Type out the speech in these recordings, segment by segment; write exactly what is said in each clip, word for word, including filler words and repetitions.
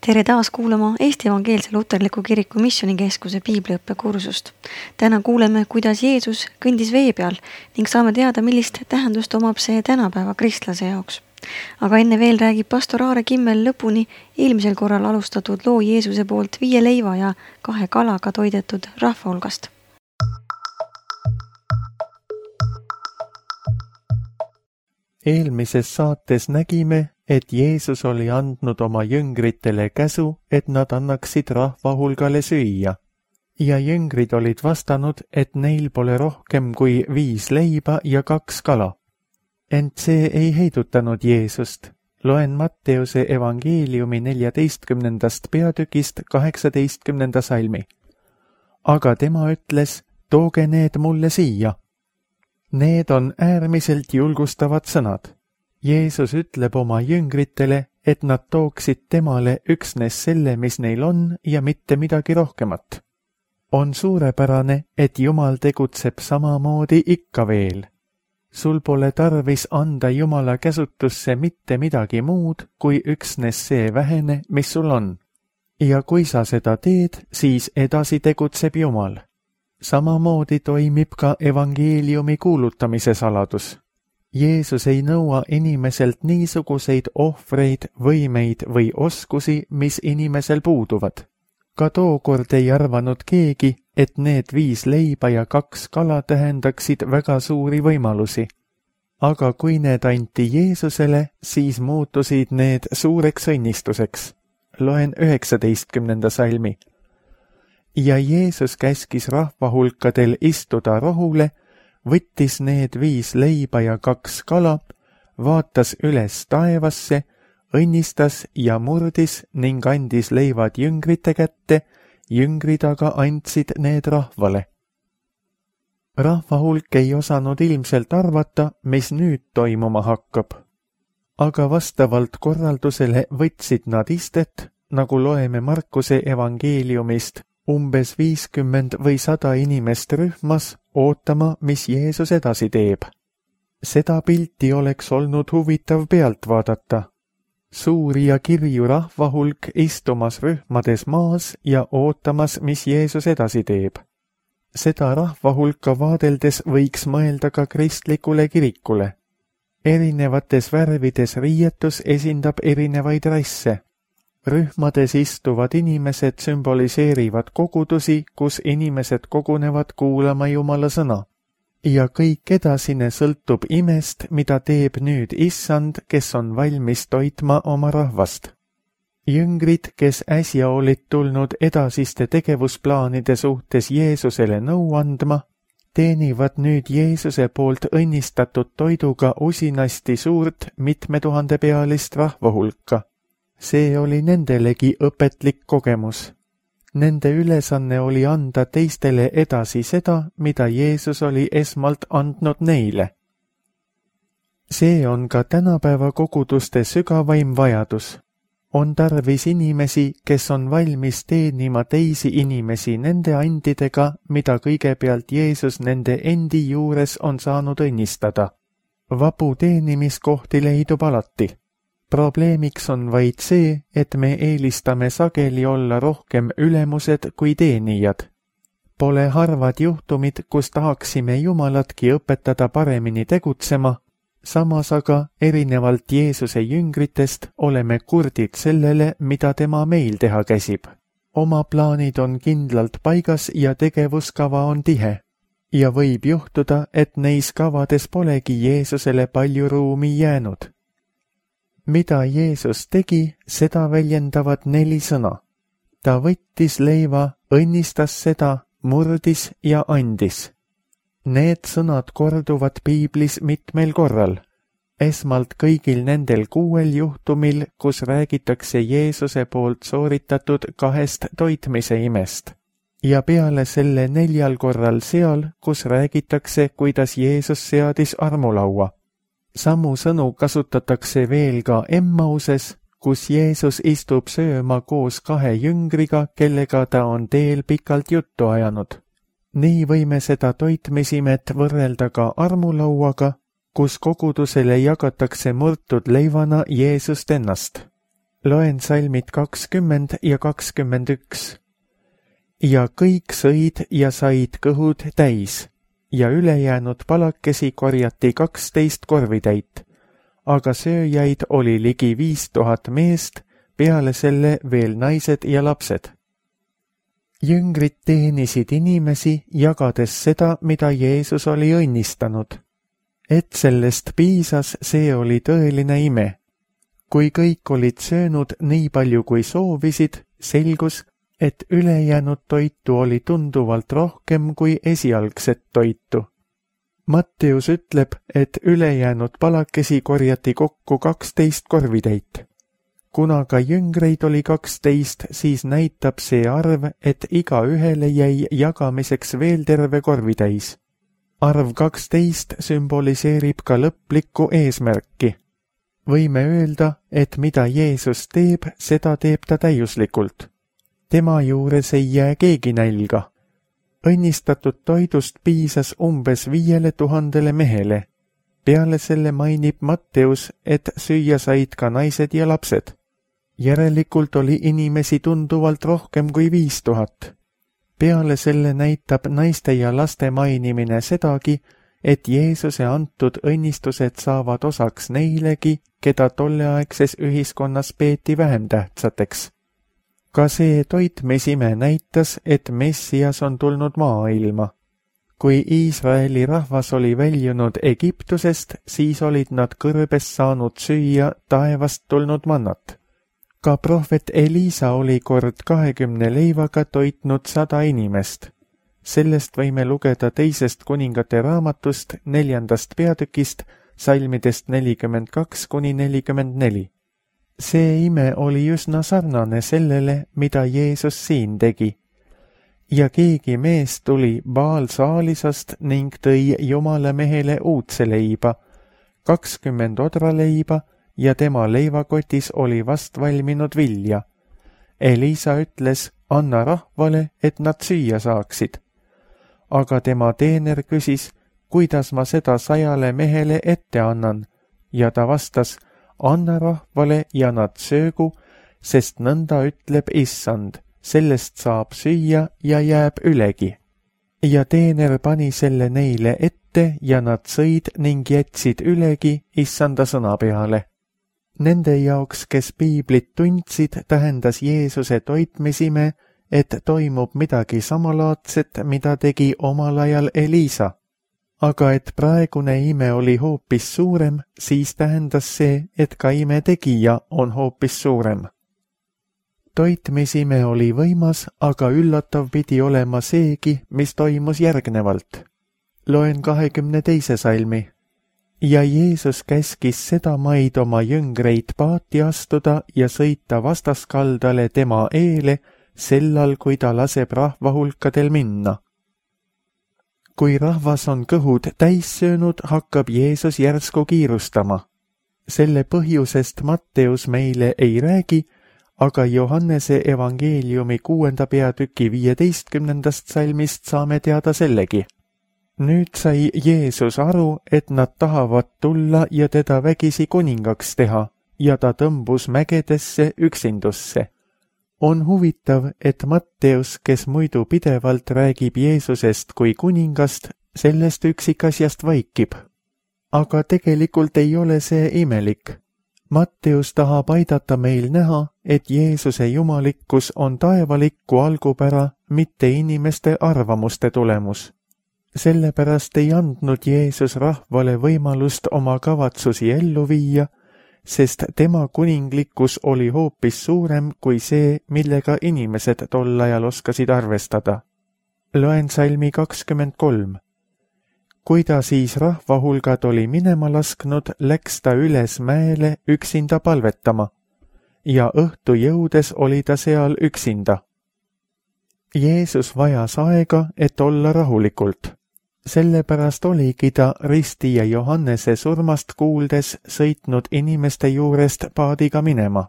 Tere taas kuulama Eesti Evangeelse Luterliku Kiriku Missioonikeskuse piibliõppekursust. Täna kuuleme, kuidas Jeesus kõndis vee peal ning saame teada, millist tähendust omab see tänapäeva kristlase jaoks. Aga enne veel räägib pastor Aare Kimmel lõpuni eelmisel korral alustatud loo Jeesuse poolt viie leiva ja kahe kalaga toidetud rahva hulgast. Eelmises saates nägime, et Jeesus oli andnud oma jüngritele käsu, et nad annaksid rahva hulgale süüa. Ja jüngrid olid vastanud, et neil pole rohkem kui viis leiba ja kaks kala. Ent see ei heidutanud Jeesust. Loen Matteuse evangeeliumi neljateistkümnendast peatükist kaheksateistkümnenda salmi. Aga tema ütles, tooge need mulle siia. Need on äärmiselt julgustavad sõnad. Jeesus ütleb oma jüngritele, et nad tooksid temale üksnes selle, mis neil on ja mitte midagi rohkemat. On suurepärane, et Jumal tegutseb samamoodi ikka veel. Sul pole tarvis anda Jumala käsutusse mitte midagi muud, kui üksnes see vähene, mis sul on. Ja kui sa seda teed, siis edasi tegutseb Jumal. Samamoodi toimib ka evangeeliumi kuulutamise saladus. Jeesus ei nõua inimeselt niisuguseid ohvreid, võimeid või oskusi, mis inimesel puuduvad. Ka tookord ei arvanud keegi, et need viis leiba ja kaks kala tähendaksid väga suuri võimalusi. Aga kui need anti Jeesusele, siis muutusid need suureks õnnistuseks. Loen üheksateistkümnenda salmi. Ja Jeesus käskis rahvahulkadel istuda rohule, võttis need viis leiba ja kaks kala, vaatas üles taevasse, õnnistas ja murdis ning andis leivad jüngrite kätte, jüngrid aga andsid need rahvale. Rahvahulk ei osanud ilmselt arvata, mis nüüd toimuma hakkab. Aga vastavalt korraldusele võtsid nad istet, nagu loeme Markuse evangeeliumist, umbes viiskümmend või sada inimest rühmas, ootama, mis Jeesus edasi teeb. Seda pilti oleks olnud huvitav pealt vaadata. Suuri ja kirju rahvahulk istumas rühmades maas ja ootamas, mis Jeesus edasi teeb. Seda rahvahulka vaadeldes võiks mõelda ka kristlikule kirikule. Erinevates värvides riietus esindab erinevaid rasse. Rühmades istuvad inimesed sümboliseerivad kogudusi, kus inimesed kogunevad kuulama Jumala sõna. Ja kõik edasine sõltub imest, mida teeb nüüd Issand, kes on valmis toitma oma rahvast. Jüngrid, kes äsja olid tulnud edasiste tegevusplaanide suhtes Jeesusele nõu andma, teenivad nüüd Jeesuse poolt õnnistatud toiduga usinasti suurt mitmetuhandepealist rahvahulka. See oli nendelegi õpetlik kogemus. Nende ülesanne oli anda teistele edasi seda, mida Jeesus oli esmalt andnud neile. See on ka tänapäeva koguduste sügavaim vajadus. On tarvis inimesi, kes on valmis teenima teisi inimesi nende andidega, mida kõigepealt Jeesus nende endi juures on saanud õnnistada. Vabu teenimiskohti leidub alati. Probleemiks on vaid see, et me eelistame sageli olla rohkem ülemused kui teenijad. Pole harvad juhtumid, kus tahaksime Jumalatki õpetada paremini tegutsema, samas aga erinevalt Jeesuse jüngritest oleme kurdid sellele, mida tema meil teha käsib. Oma plaanid on kindlalt paigas ja tegevuskava on tihe. Ja võib juhtuda, et neis kavades polegi Jeesusele palju ruumi jäänud. Mida Jeesus tegi, seda väljendavad neli sõna. Ta võttis leiva, õnnistas seda, murdis ja andis. Need sõnad korduvad piiblis mitmel korral. Esmalt kõigil nendel kuuel juhtumil, kus räägitakse Jeesuse poolt sooritatud kahest toitmise imest. Ja peale selle neljal korral seal, kus räägitakse, kuidas Jeesus seadis armulaua. Samu sõnu kasutatakse veel ka Emmauses, kus Jeesus istub sööma koos kahe jüngriga, kellega ta on teel pikalt juttu ajanud. Nii võime seda toitmisimet võrrelda ka armulauaga, kus kogudusele jagatakse murtud leivana Jeesust ennast. Loen salmid kakskümmend ja kakskümmend üks. Ja kõik sõid ja said kõhud täis ja ülejäänud palakesi korjati kaksteist korvitäit, aga sööjaid oli ligi viis tuhat meest, peale selle veel naised ja lapsed. Jüngrid teenisid inimesi, jagades seda, mida Jeesus oli õnnistanud. Et sellest piisas, see oli tõeline ime. Kui kõik olid söönud nii palju kui soovisid, selgus, et ülejäänud toitu oli tunduvalt rohkem kui esialgset toitu. Matteus ütleb, et ülejäänud palakesi korjati kokku kaksteist korvitäit. Kuna ka jüngreid oli kaksteist, siis näitab see arv, et iga ühele jäi jagamiseks veel terve korvitäis. Arv kaksteist sümboliseerib ka lõplikku eesmärki. Võime öelda, et mida Jeesus teeb, seda teeb ta täiuslikult. Tema juures ei jää keegi nälga. Õnnistatud toidust piisas umbes viiele tuhandele mehele. Peale selle mainib Matteus, et süüa said ka naised ja lapsed. Järelikult oli inimesi tunduvalt rohkem kui viis tuhat. Peale selle näitab naiste ja laste mainimine sedagi, et Jeesuse antud õnnistused saavad osaks neilegi, keda tolleaegses ühiskonnas peeti vähem tähtsateks. Ka see toitmisime näitas, et Messias on tulnud maailma. Kui Iisraeli rahvas oli väljunud Egiptusest, siis olid nad kõrbes saanud süüa taevast tulnud mannat. Ka prohvet Elisa oli kord kahekümne leivaga toitnud sada inimest. Sellest võime lugeda teisest kuningate raamatust neljandast peatükist, salmidest nelikümmend kaks kuni nelikümmend neli. See ime oli üsna sarnane sellele, mida Jeesus siin tegi. Ja keegi mees tuli Baal-Saalisast ning tõi Jumala mehele uudse leiba, kakskümmend odraleiba, ja tema leivakotis oli vast valminud vilja. Elisa ütles, anna rahvale, et nad süüa saaksid. Aga tema teener küsis, kuidas ma seda sajale mehele ette annan, ja ta vastas, anna rahvale ja nad söögu, sest nõnda ütleb issand, sellest saab süüa ja jääb ülegi. Ja teener pani selle neile ette ja nad sõid ning jätsid ülegi issanda sõna peale. Nende jaoks, kes piiblit tundsid, tähendas Jeesuse toitmisime, et toimub midagi samalaadset, mida tegi omal ajal Elisa. Aga et praegune ime oli hoopis suurem, siis tähendas see, et ka ime tegija on hoopis suurem. Toitmisime oli võimas, aga üllatav pidi olema seegi, mis toimus järgnevalt. Loen kahekümne teise salmi. Ja Jeesus käskis seda maid oma jüngreid paati astuda ja sõita vastaskaldale tema eele, sellal, kui ta laseb rahva hulkadel minna. Kui rahvas on kõhud täis söönud, hakkab Jeesus järsku kiirustama. Selle põhjusest Matteus meile ei räägi, aga Johannese evangeeliumi kuuenda peatüki viieteistkümnendast salmist saame teada sellegi. Nüüd sai Jeesus aru, et nad tahavad tulla ja teda vägisi kuningaks teha, ja ta tõmbus mägedesse üksindusse. On huvitav, et Matteus, kes muidu pidevalt räägib Jeesusest kui kuningast, sellest üksikasjast vaikib. Aga tegelikult ei ole see imelik. Matteus tahab aidata meil näha, et Jeesuse jumalikkus on taevalikku algupära, mitte inimeste arvamuste tulemus. Sellepärast ei andnud Jeesus rahvale võimalust oma kavatsusi ellu viia, sest tema kuninglikkus oli hoopis suurem kui see, millega inimesed tol ajal oskasid arvestada. Loen salmi kakskümmend kolm. Kui ta siis rahvahulgad oli minema lasknud, läks ta üles mäele üksinda palvetama, ja õhtu jõudes oli ta seal üksinda. Jeesus vajas aega, et olla rahulikult. Sellepärast oligi ta Risti ja Johannese surmast kuuldes sõitnud inimeste juurest paadiga minema.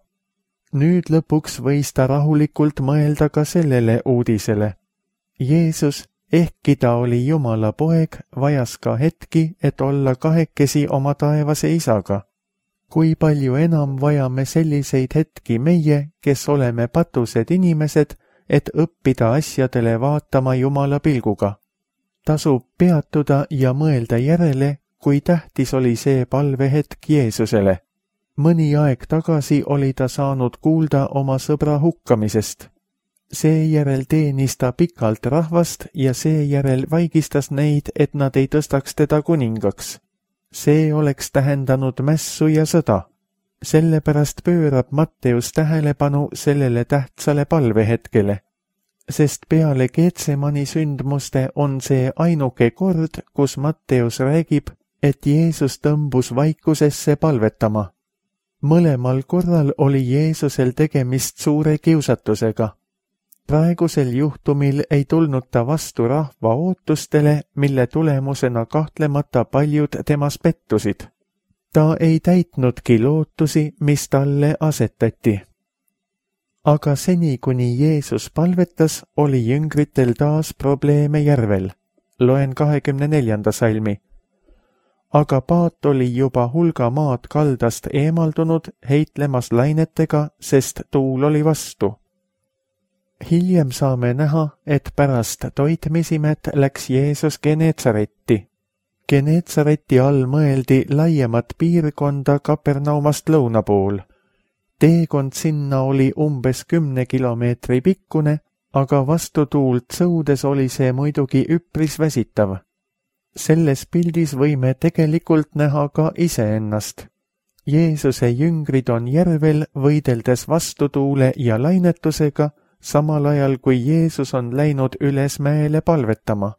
Nüüd lõpuks võis ta rahulikult mõelda ka sellele uudisele. Jeesus, ehkki ta oli Jumala poeg, vajas ka hetki, et olla kahekesi oma taevase isaga. kui palju enam vajame selliseid hetki meie, kes oleme patused inimesed, et õppida asjadele vaatama Jumala pilguga. Tasub peatuda ja mõelda järele, kui tähtis oli see palvehetk Jeesusele. Mõni aeg tagasi oli ta saanud kuulda oma sõbra hukkamisest. Seejärel teenis ta pikalt rahvast ja seejärel vaigistas neid, et nad ei tõstaks teda kuningaks. See oleks tähendanud mässu ja sõda. Sellepärast pöörab Matteus tähelepanu sellele tähtsale palvehetkele, sest peale Getsemani sündmuste on see ainuke kord, kus Matteus räägib, et Jeesus tõmbus vaikusesse palvetama. Mõlemal korral oli Jeesusel tegemist suure kiusatusega. Praegusel juhtumil ei tulnud ta vastu rahva ootustele, mille tulemusena kahtlemata paljud temas pettusid. Ta ei täitnudki lootusi, mis talle asetati. Aga seni, kuni Jeesus palvetas, oli jüngritel taas probleeme järvel. Loen kahekümne neljanda salmi. Aga paat oli juba hulga maad kaldast eemaldunud, heitlemas lainetega, sest tuul oli vastu. Hiljem saame näha, et pärast toitmisimet läks Jeesus Geneetsaretti. Geneetsareti all mõeldi laiemat piirkonda Kapernaumast lõuna pool. Teekond sinna oli umbes kümne kilomeetri pikkune, aga vastutuult sõudes oli see muidugi üpris väsitav. Selles pildis võime tegelikult näha ka iseennast. Jeesuse jüngrid on järvel võideldes vastutuule ja lainetusega, samal ajal kui Jeesus on läinud üles mäele palvetama.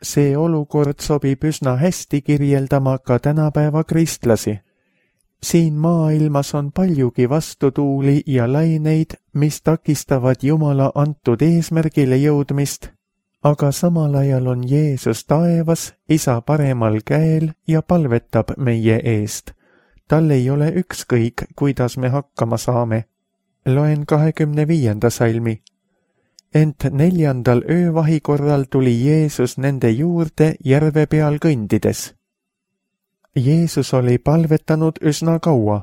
See olukord sobib üsna hästi kirjeldama ka tänapäeva kristlasi. Siin maailmas on paljugi vastutuuli ja laineid, mis takistavad Jumala antud eesmärgile jõudmist, aga samal ajal on Jeesus taevas, Isa paremal käel ja palvetab meie eest. Tal ei ole ükskõik, kuidas me hakkama saame. Loen kahekümne viienda salmi. Ent neljandal öövahi korral tuli Jeesus nende juurde järve peal kõndides. Jeesus oli palvetanud üsna kaua.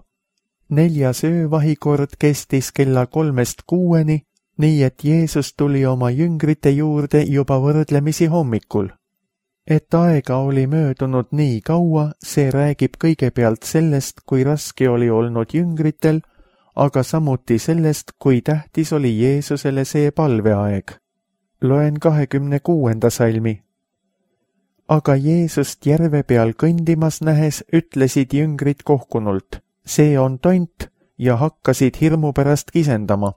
Neljas öövahikord kestis kella kolmest kuueni, nii et Jeesus tuli oma jüngrite juurde juba võrdlemisi hommikul. Et aega oli möödunud nii kaua, see räägib kõigepealt sellest, kui raske oli olnud jüngritel, aga samuti sellest, kui tähtis oli Jeesusele see palveaeg. Loen kahekümne kuuenda salmi. Aga Jeesust järve peal kõndimas nähes ütlesid jüngrid kohkunult, see on tont, ja hakkasid hirmu pärast kisendama.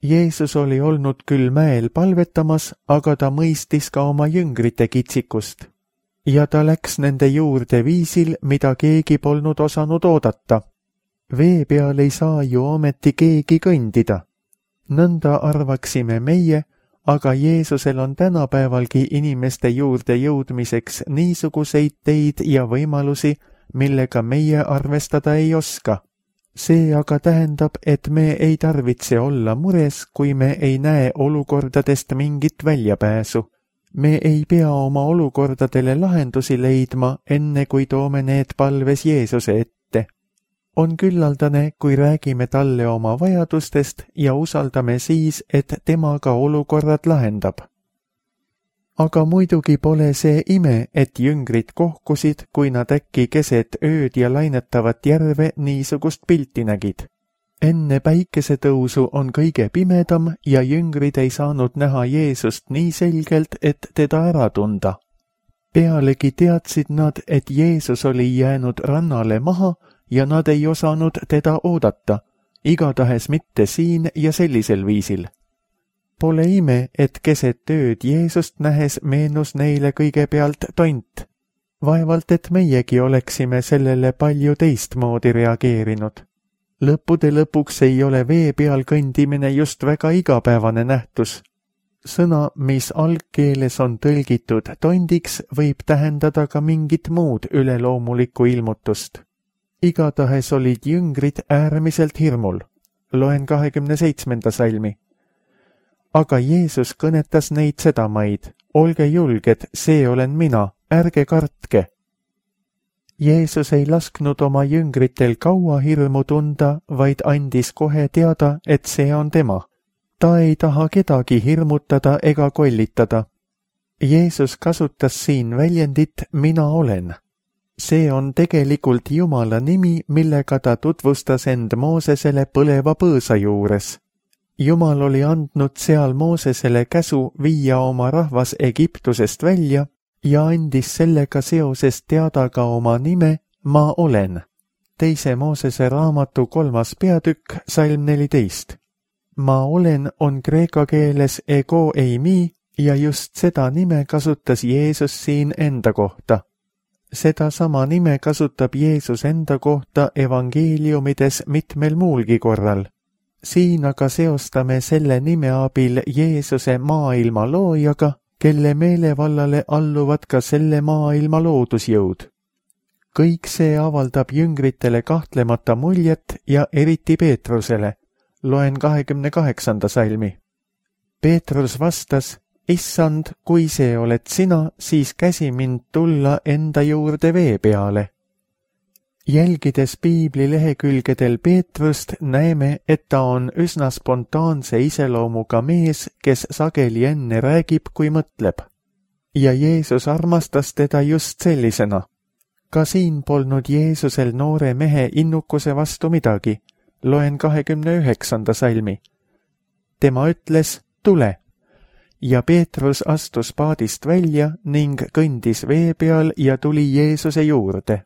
Jeesus oli olnud küll mäel palvetamas, aga ta mõistis ka oma jüngrite kitsikust. Ja ta läks nende juurde viisil, mida keegi polnud osanud oodata. Vee peal ei saa ju ometi keegi kõndida. Nõnda arvaksime meie, aga Jeesusel on tänapäevalgi inimeste juurde jõudmiseks niisuguseid teid ja võimalusi, millega meie arvestada ei oska. See aga tähendab, et me ei tarvitse olla mures, kui me ei näe olukordadest mingit väljapääsu. Me ei pea oma olukordadele lahendusi leidma, enne kui toome need palves Jeesuse ette. On küllaldane, kui räägime talle oma vajadustest ja usaldame siis, et tema ka olukorrad lahendab. Aga muidugi pole see ime, et jüngrid kohkusid, kui nad äkki keset ööd ja lainetavat järve niisugust pilti nägid. Enne päikesetõusu on kõige pimedam ja jüngrid ei saanud näha Jeesust nii selgelt, et teda ära tunda. Pealegi teadsid nad, et Jeesus oli jäänud rannale maha ja nad ei osanud teda oodata, igatahes mitte siin ja sellisel viisil. Pole ime, et keset ööd Jeesust nähes meenus neile kõigepealt tont. Vaevalt, et meiegi oleksime sellele palju teistmoodi reageerinud. Lõppude lõpuks ei ole vee peal kõndimine just väga igapäevane nähtus. Sõna, mis algkeeles on tõlgitud tondiks, võib tähendada ka mingit muud üleloomulikku ilmutust. Igatahes olid jüngrid äärmiselt hirmul. Loen kahekümne seitsmenda salmi. Aga Jeesus kõnetas neid sedamaid, olge julged, see olen mina, ärge kartke. Jeesus ei lasknud oma jüngritel kaua hirmu tunda, vaid andis kohe teada, et see on tema. Ta ei taha kedagi hirmutada ega kollitada. Jeesus kasutas siin väljendit mina olen. See on tegelikult Jumala nimi, millega ta tutvustas end Moosesele põleva põõsa juures. Jumal oli andnud seal Moosesele käsu viia oma rahvas Egiptusest välja ja andis sellega seoses teada ka oma nime ma olen. Teise Moosese raamatu kolmas peatükk, salm neliteist. Ma olen on kreeka keeles ego eimi ja just seda nime kasutas Jeesus siin enda kohta. Seda sama nime kasutab Jeesus enda kohta evangeeliumides mitmel muulgi korral. Siin aga seostame selle nime abil Jeesuse maailma loojaga, kelle meelevallale alluvad ka selle maailma loodusjõud. Kõik see avaldab jüngritele kahtlemata muljet ja eriti Peetrusele. Loen kahekümne kaheksanda salmi. Peetrus vastas, issand, kui see oled sina, siis käsi mind tulla enda juurde vee peale. Jälgides piibli lehekülgedel Peetrust näeme, et ta on üsna spontaanse iseloomuga mees, kes sageli enne räägib, kui mõtleb. Ja Jeesus armastas teda just sellisena. Ka siin polnud Jeesusel noore mehe innukuse vastu midagi. Loen kahekümne üheksanda salmi. Tema ütles, tule. Ja Peetrus astus paadist välja ning kõndis vee peal ja tuli Jeesuse juurde.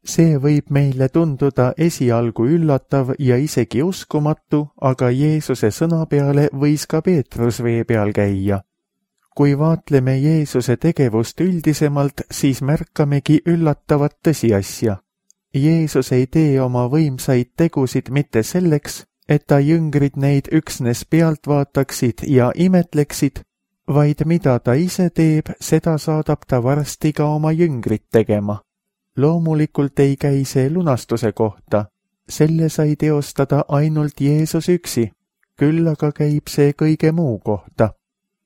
See võib meile tunduda esialgu üllatav ja isegi uskumatu, aga Jeesuse sõna peale võis ka Peetrus vee peal käia. Kui vaatleme Jeesuse tegevust üldisemalt, siis märkamegi üllatavat tõsiasja. Jeesus ei tee oma võimsaid tegusid mitte selleks, et ta jüngrid neid üksnes pealt vaataksid ja imetleksid, vaid mida ta ise teeb, seda saadab ta varsti ka oma jüngrid tegema. Loomulikult ei käi see lunastuse kohta, selle sai teostada ainult Jeesus üksi, küll aga käib see kõige muu kohta.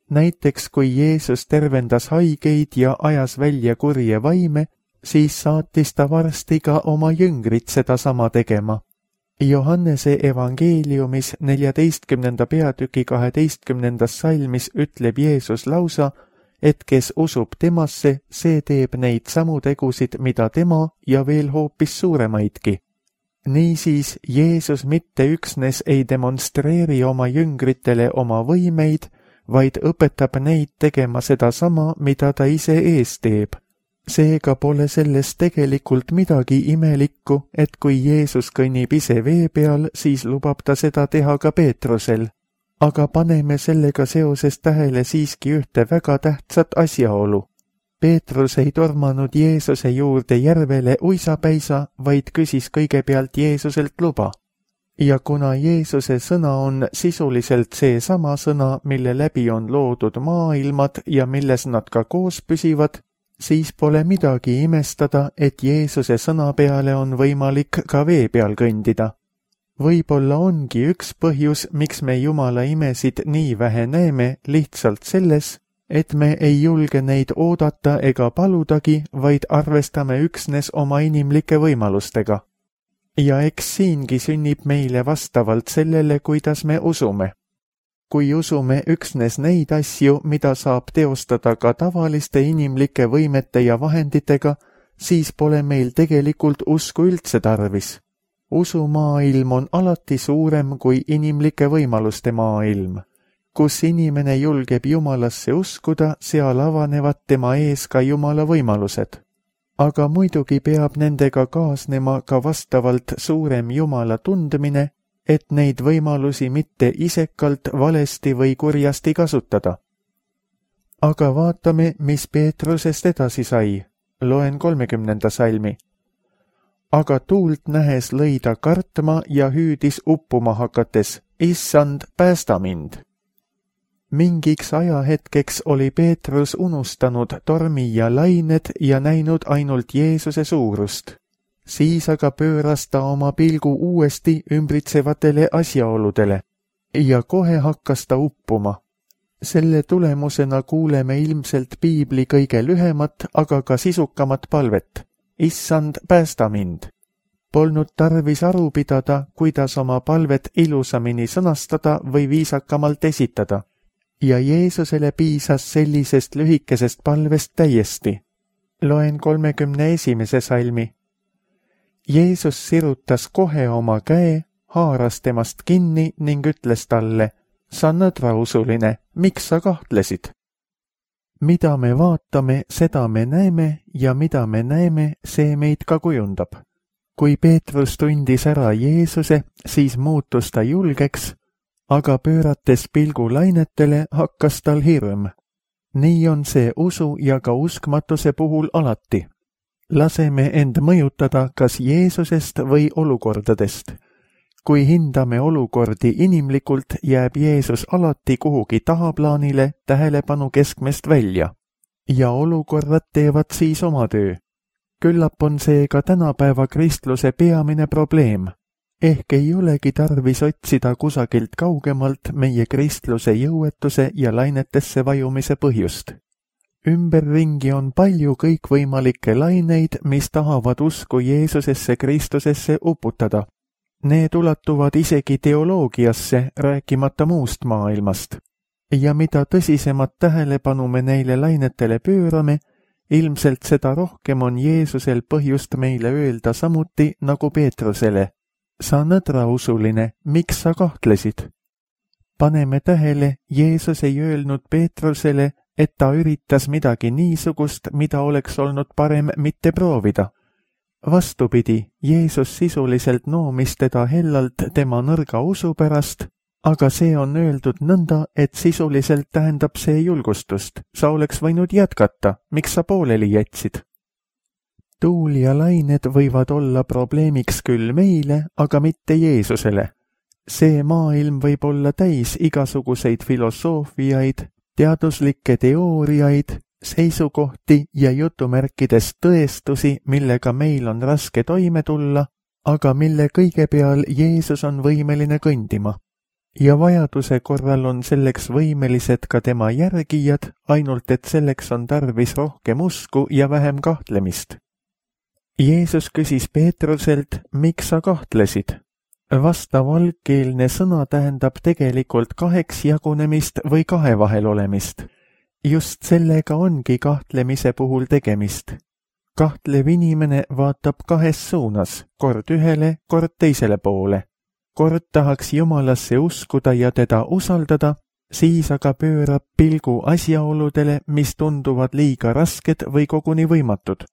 Näiteks kui Jeesus tervendas haigeid ja ajas välja kurje vaime, siis saatis ta varsti ka oma jüngrid seda sama tegema. Johannese evangeeliumis neljateistkümnenda peatüki kaheteistkümnendas salmis ütleb Jeesus lausa, et kes usub temasse, see teeb neid samu tegusid, mida tema ja veel hoopis suuremaidki. Niisiis, Jeesus mitte üksnes ei demonstreeri oma jüngritele oma võimeid, vaid õpetab neid tegema seda sama, mida ta ise ees teeb. Seega pole selles tegelikult midagi imelikku, et kui Jeesus kõnnib ise vee peal, siis lubab ta seda teha ka Peetrusel. Aga paneme sellega seoses tähele siiski ühte väga tähtsat asjaolu. Peetrus ei tormanud Jeesuse juurde järvele uisapäisa, vaid küsis kõigepealt Jeesuselt luba. Ja kuna Jeesuse sõna on sisuliselt see sama sõna, mille läbi on loodud maailmad ja milles nad ka koos püsivad, siis pole midagi imestada, et Jeesuse sõna peale on võimalik ka vee peal kõndida. Võib-olla ongi üks põhjus, miks me Jumala imesid nii vähe näeme, lihtsalt selles, et me ei julge neid oodata ega paludagi, vaid arvestame üksnes oma inimlike võimalustega. Ja eks siingi sünnib meile vastavalt sellele, kuidas me usume. Kui usume üksnes neid asju, mida saab teostada ka tavaliste inimlike võimete ja vahenditega, siis pole meil tegelikult usku üldse tarvis. Usumaailm on alati suurem kui inimlike võimaluste maailm. Kus inimene julgeb Jumalasse uskuda, seal avanevad tema ees ka Jumala võimalused. Aga muidugi peab nendega kaasnema ka vastavalt suurem Jumala tundmine, et neid võimalusi mitte isekalt, valesti või kurjasti kasutada. Aga vaatame, mis Peetrusest edasi sai. Loen kolmekümnenda salmi. Aga tuult nähes lõi ta kartma ja hüüdis uppuma hakates, issand, päästa mind. Mingiks ajahetkeks oli Peetrus unustanud tormi ja lained ja näinud ainult Jeesuse suurust. Siis aga pööras ta oma pilgu uuesti ümbritsevatele asjaoludele ja kohe hakkas ta uppuma. Selle tulemusena kuuleme ilmselt piibli kõige lühemat, aga ka sisukamat palvet. issand, päästa mind. Polnud tarvis aru pidada, kuidas oma palvet ilusamini sõnastada või viisakamalt esitada. Ja Jeesusele piisas sellisest lühikesest palvest täiesti. Loen kolmekümne esimese salmi. Jeesus sirutas kohe oma käe, haaras temast kinni ning ütles talle, sa nõdrausuline, miks sa kahtlesid? Mida me vaatame, seda me näeme ja mida me näeme, see meid ka kujundab. Kui Peetrus tundis ära Jeesuse, siis muutus ta julgeks, aga pöörates pilgu lainetele hakkas tal hirm. Nii on see usu ja ka uskmatuse puhul alati. Laseme end mõjutada kas Jeesusest või olukordadest. Kui hindame olukordi inimlikult, jääb Jeesus alati kuhugi tahaplaanile tähelepanu keskmest välja. Ja olukorrad teevad siis oma töö. Küllap on see ka tänapäeva kristluse peamine probleem. Ehk ei olegi tarvis otsida kusagilt kaugemalt meie kristluse jõuetuse ja lainetesse vajumise põhjust. Ümberringi on palju kõikvõimalikke laineid, mis tahavad usku Jeesusesse Kristusesse uputada. Need ulatuvad isegi teoloogiasse, rääkimata muust maailmast. Ja mida tõsisemat tähelepanu me neile lainetele pöörame, ilmselt seda rohkem on Jeesusel põhjust meile öelda samuti nagu Peetrusele. Sa nõdrausuline, miks sa kahtlesid? Paneme tähele, Jeesus ei öelnud Peetrusele, et ta üritas midagi niisugust, mida oleks olnud parem mitte proovida. Vastupidi, Jeesus sisuliselt noomis teda hellalt tema nõrga usu pärast, aga see on öeldud nõnda, et sisuliselt tähendab see julgustust. Sa oleks võinud jätkata, miks sa pooleli jätsid? Tuul ja lained võivad olla probleemiks küll meile, aga mitte Jeesusele. See maailm võib olla täis igasuguseid filosoofiaid, teaduslikke teooriaid, seisukohti ja jutumärkides tõestusi, millega meil on raske toime tulla, aga mille kõige peal Jeesus on võimeline kõndima. Ja vajaduse korral on selleks võimelised ka tema järgijad, ainult et selleks on tarvis rohkem usku ja vähem kahtlemist. Jeesus küsis Peetruselt, miks sa kahtlesid? Vastav algkeelne sõna tähendab tegelikult kaheks jagunemist või kahe vahel olemist. Just sellega ongi kahtlemise puhul tegemist. Kahtlev inimene vaatab kahes suunas, kord ühele, kord teisele poole. Kord tahaks Jumalasse uskuda ja teda usaldada, siis aga pöörab pilgu asjaoludele, mis tunduvad liiga rasked või koguni võimatud.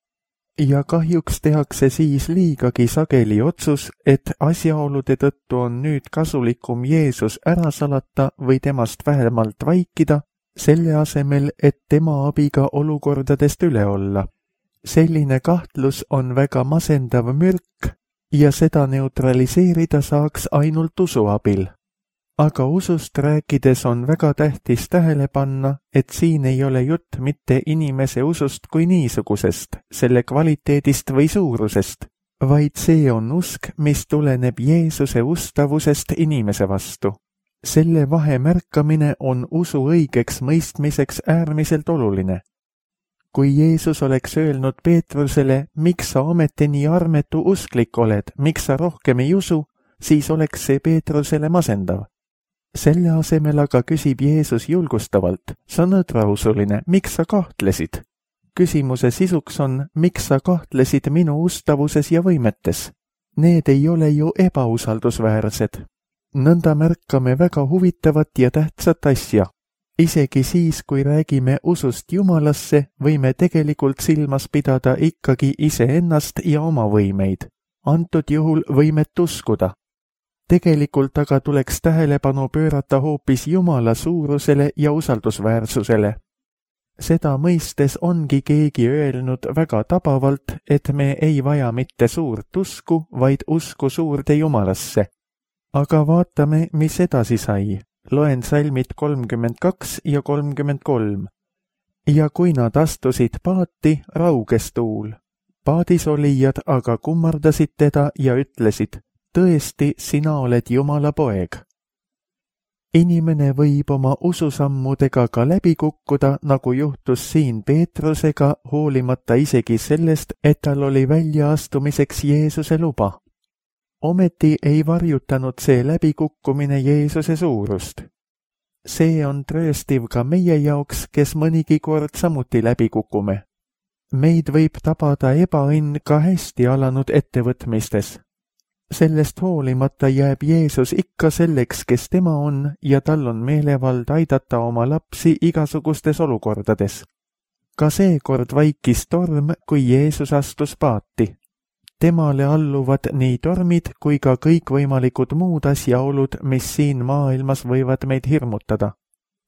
Ja kahjuks tehakse siis liigagi sageli otsus, et asjaolude tõttu on nüüd kasulikum Jeesus ära salata või temast vähemalt vaikida, selle asemel, et tema abiga olukordadest üle olla. Selline kahtlus on väga masendav mürk ja seda neutraliseerida saaks ainult usu abil. Aga usust rääkides on väga tähtis tähele panna, et siin ei ole jutt mitte inimese usust kui niisugusest, selle kvaliteedist või suurusest, vaid see on usk, mis tuleneb Jeesuse ustavusest inimese vastu. Selle vahe märkamine on usu õigeks mõistmiseks äärmiselt oluline. Kui Jeesus oleks öelnud Peetrusele, miks sa ometi nii armetu usklik oled, miks sa rohkem ei usu, siis oleks see Peetrusele masendav. Selle asemel aga küsib Jeesus julgustavalt, sa nõdrausuline, miks sa kahtlesid? Küsimuse sisuks on, miks sa kahtlesid minu ustavuses ja võimetes? Need ei ole ju ebausaldusväärsed. Nõnda märkame väga huvitavat ja tähtsat asja. Isegi siis, kui räägime usust Jumalasse, võime tegelikult silmas pidada ikkagi iseennast ja oma võimeid. Antud juhul võimet uskuda. Tegelikult aga tuleks tähelepanu pöörata hoopis Jumala suurusele ja usaldusväärsusele. Seda mõistes ongi keegi öelnud väga tabavalt, et me ei vaja mitte suurt usku, vaid usku suurde Jumalasse. Aga vaatame, mis edasi sai. Loen salmid kolmkümmend kaks ja kolmkümmend kolm. Ja kui nad astusid paati, rauges tuul. Paadis olijad aga kummardasid teda ja ütlesid, tõesti, sina oled Jumala poeg. inimene võib oma ususammudega ka läbi kukkuda, nagu juhtus siin Peetrusega, hoolimata isegi sellest, et tal oli väljaastumiseks Jeesuse luba. Ometi ei varjutanud see läbikukkumine Jeesuse suurust. See on trööstiv ka meie jaoks, kes mõnigi kord samuti läbi kukume. Meid võib tabada ebaõnn ka hästi alanud ettevõtmistes. Sellest hoolimata jääb Jeesus ikka selleks, kes tema on, ja tal on meelevald aidata oma lapsi igasugustes olukordades. Ka seekord vaikis torm, kui Jeesus astus paati. Temale alluvad nii tormid kui ka kõikvõimalikud muud asjaolud, mis siin maailmas võivad meid hirmutada.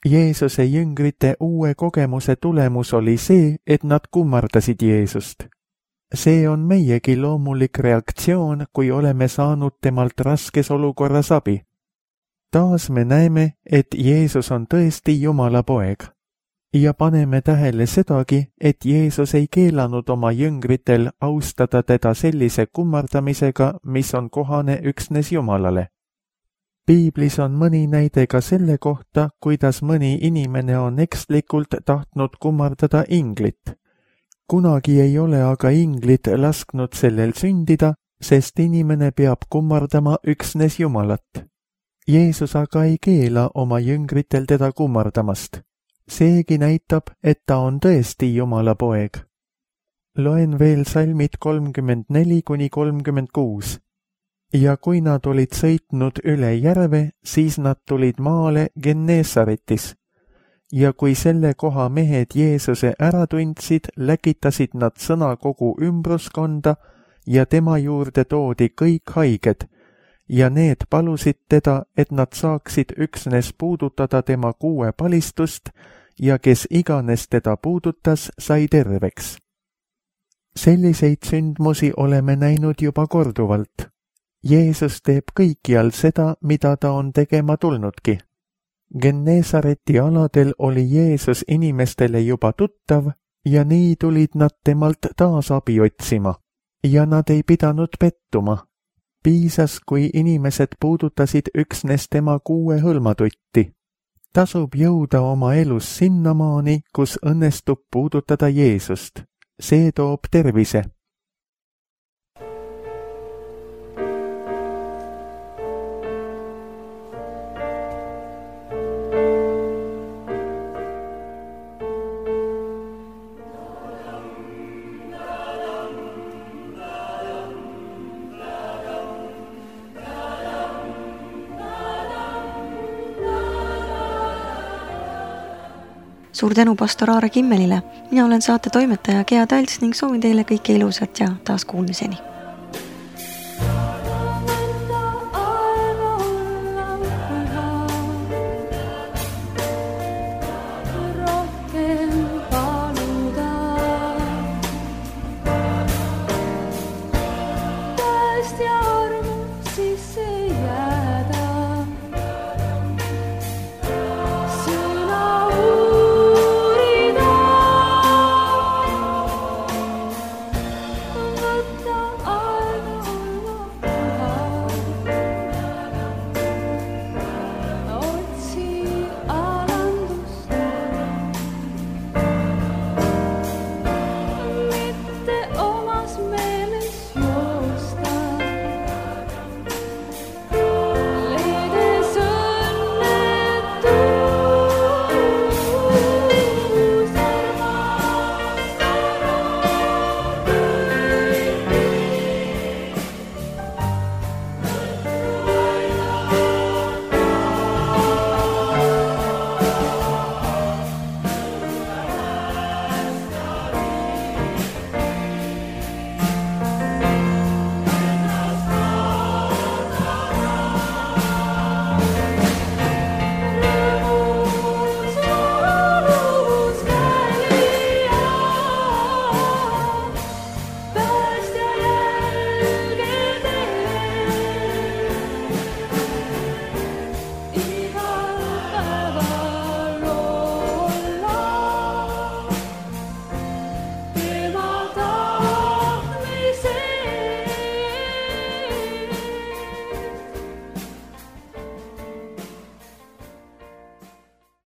Jeesuse jüngrite uue kogemuse tulemus oli see, et nad kummardasid Jeesust. See on meiegi loomulik reaktsioon, kui oleme saanud temalt raskes olukorras abi. Taas me näeme, et Jeesus on tõesti Jumala poeg. Ja paneme tähele sedagi, et Jeesus ei keelanud oma jüngritel austada teda sellise kummardamisega, mis on kohane üksnes Jumalale. Piiblis on mõni näide ka selle kohta, kuidas mõni inimene on ekslikult tahtnud kummardada inglit. Kunagi ei ole aga inglit lasknud sellel sündida, sest inimene peab kummardama üksnes Jumalat. Jeesus aga ei keela oma jüngritel teda kummardamast. Seegi näitab, et ta on tõesti Jumala poeg. Loen veel salmid kolmkümmend neli kuni kolmkümmend kuus. Ja kui nad olid sõitnud üle järve, siis nad tulid maale Gennesaretis. Ja kui selle koha mehed Jeesuse ära tundsid, läkitasid nad sõna kogu ümbruskonda ja tema juurde toodi kõik haiged, ja need palusid teda, et nad saaksid üksnes puudutada tema kuue palistust ja kes iganes teda puudutas, sai terveks. Selliseid sündmusi oleme näinud juba korduvalt. Jeesus teeb kõikjal seda, mida ta on tegema tulnudki. Gennesareti aladel oli Jeesus inimestele juba tuttav ja nii tulid nad temalt taas abi otsima. Ja nad ei pidanud pettuma. Piisas, kui inimesed puudutasid üksnes tema kuue hõlmatutti. Tasub jõuda oma elus sinnamaani, kus õnnestub puudutada Jeesust. See toob tervise. Suur tänu pastor Aare Kimmelile. Mina olen saate toimetaja Gea Talts ning soovin teile kõike ilusat ja taas kuulmiseni.